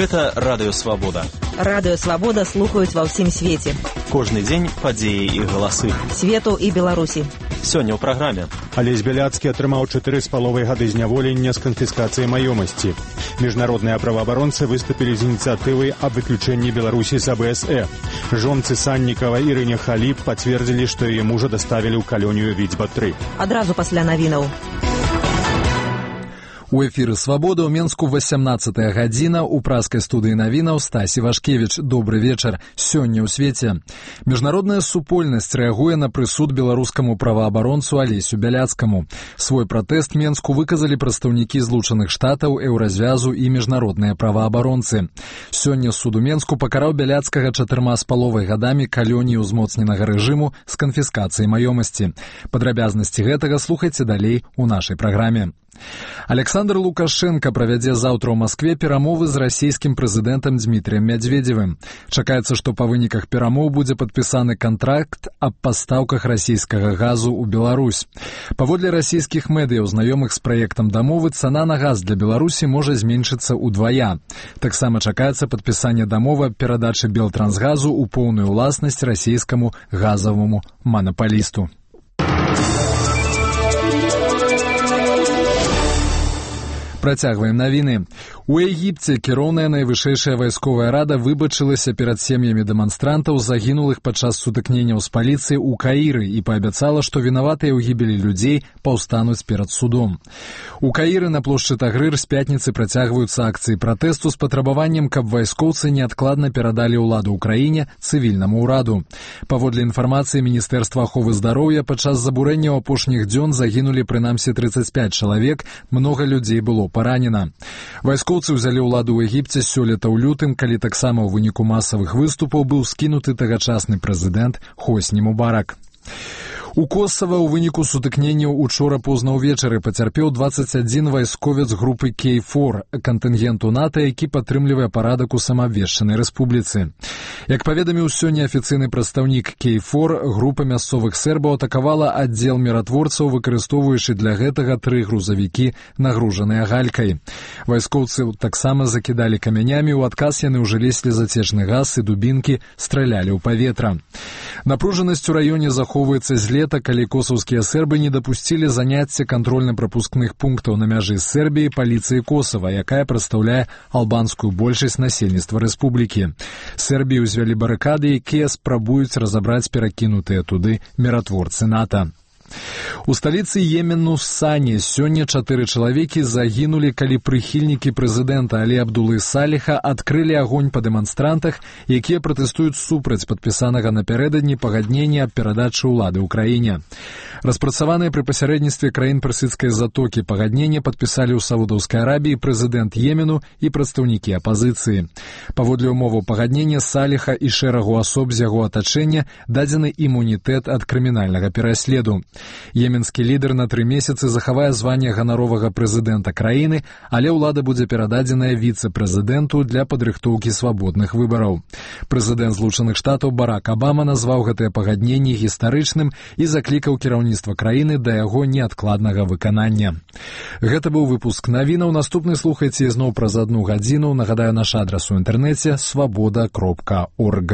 Гэта Радыё Свабода. Радыё Свабода слухаюць ва ўсім свеце. Кожны дзень падзеі і галасы. Свету і Беларусі. Сёння ў праграме. Алесь Бяляцкі атрымаў 4,5 гады зняволення з канфіскацыяй маёмасці. Міжнародныя праваабаронцы выступілі з ініцыятывай аб выключэнні Беларусі з АБСЭ. Жонцы Саннікава Ірыне Халіп пацвердзілі, што яе мужа даставілі ў калонію Віцьба-3. Адразу пасля навінаў. У эфіры «Свабода» ў Менску 18-я гадзіна. У праскай студыі навінаў Стасі Вашкевіч. Добры вечар. Сёння ў свеце. Міжнародная супольнасць рэагуе на прысуд беларускаму праваабаронцу Алесю Бяляцкаму. Свой пратэст Менску выказалі прадстаўнікі Злучаных Штатаў, Еўразвязу і міжнародныя праваабаронцы. Сёння суд у Менску пакараў Бяляцкага 4,5 гадамі калоніі ўзмоцненага рэжыму з канфіскацыяй маёмасці. Падрабязнасці гэтага слухайце далей у нашай праграме. Александр Лукашенко правядзе заўтра ў Маскве перамовы з расійскім прэзідэнтам Дмітрыем Мядзведзевым. Чакаецца, што па выніках перамоў будзе падпісаны кантракт аб пастаўках расійскага газу ў Беларусь. Паводле расійскіх медыяў, знаёмых з праектам дамовы, цана на газ для Беларусі можа зменшыцца ўдвая. Таксама чакаецца падпісанне дамовы аб перадачы Белтрансгазу ў поўную ўласнасць расійскаму газаваму манапалісту. Працягваем навіны. У Егіпце кіроўная найвышэйшая вайсковая рада выбачылася перад сем'ямі дэманстрантаў, загінулых падчас сутыкненняў з паліцыяй у Каіры і паабяцала, што вінаватыя ў гібелі людзей паўстануць перад судом. У Каіры на плошчы Тагрыр з пятніцы працягваюцца акцыі пратэсту з патрабаваннем, каб вайскоўцы неадкладна перадалі ўладу ў краіне цывільнаму ўраду. Паводле інфармацыі Міністэрства аховы здароўя, падчас забурэнняў апошніх дзён загінулі прынамсі 35 чалавек, многа людзей было паранена. Вайскоўцы ўзялі ўладу ў Егіпце сёлета ў лютым, калі таксама ў выніку масавых выступаў быў скінуты тагачасны прэзідэнт Хосні Мубарак. У Косава ў выніку сутыкненняў учора позна ўвечары пацярпеў 21 вайсковец групы Кей-4, кантынгенту НАТО, які падтрымлівае парадак у самаабвешчанай рэспубліцы. Як паведаміў сёння афіцыйны прадстаўнік Кей-4, група мясцовых сербаў атакавала аддзел міратворцаў, выкарыстоўваючы для гэтага 3 грузавікі, нагружаныя галькай. Вайскоўцы таксама закідалі камянямі, у адказ яны ўжылі слезацечны газ і дубінкі, стралялі ў паветра. Напружанасць у раёне захоўваецца з лета, калі косаўскія сербы не дапусцілі заняцця кантрольна-прапускных пунктаў на мяжы з Сербіяй паліцыі Косава, якая прадстаўляе албанскую большасць насельніцтва рэспублікі. Сербіі ўзвялі барыкады, якія спрабуюць разабраць перакінутыя туды міратворцы НАТО. У сталіцы Йемену Сане сёння 4 чалавекі загінулі, калі прыхільнікі прэзідэнта Алі Абдулы Саліха адкрылі агонь па дэманстрантах, якія пратэстуюць супраць падпісанага напярэдадні пагаднення аб перадачы ўлады ў краіне. Распрацаваныя пры пасярэдніцтве краін персідскай затокі пагаднення падпісалі ў Саудаўскай Арабіі прэзідэнт Йемену і прадстаўнікі апазіцыі. Паводле ўмоваў пагаднення Саліха і шэрагу асоб з яго атачэння дадзены імунітэт ад крымінальнага пераследу. Йеменскі лідар на 3 месяцы захавае званне ганаровага прэзідэнта краіны, але ўлада будзе перададзеная віцэ-прэзідэнту для падрыхтоўкі свабодных выбараў. Прэзідэнт Злучаных Штатаў Барак Абама назваў гэтае пагадненне гістарычным і заклікаў кіраўніцтва краіны да яго неадкладнага выканання. Гэта быў выпуск навінаў. Наступны слухайце ізноў праз 1 гадзіну. Нагадаю, наш адрас у інтэрнэце свабода.орг.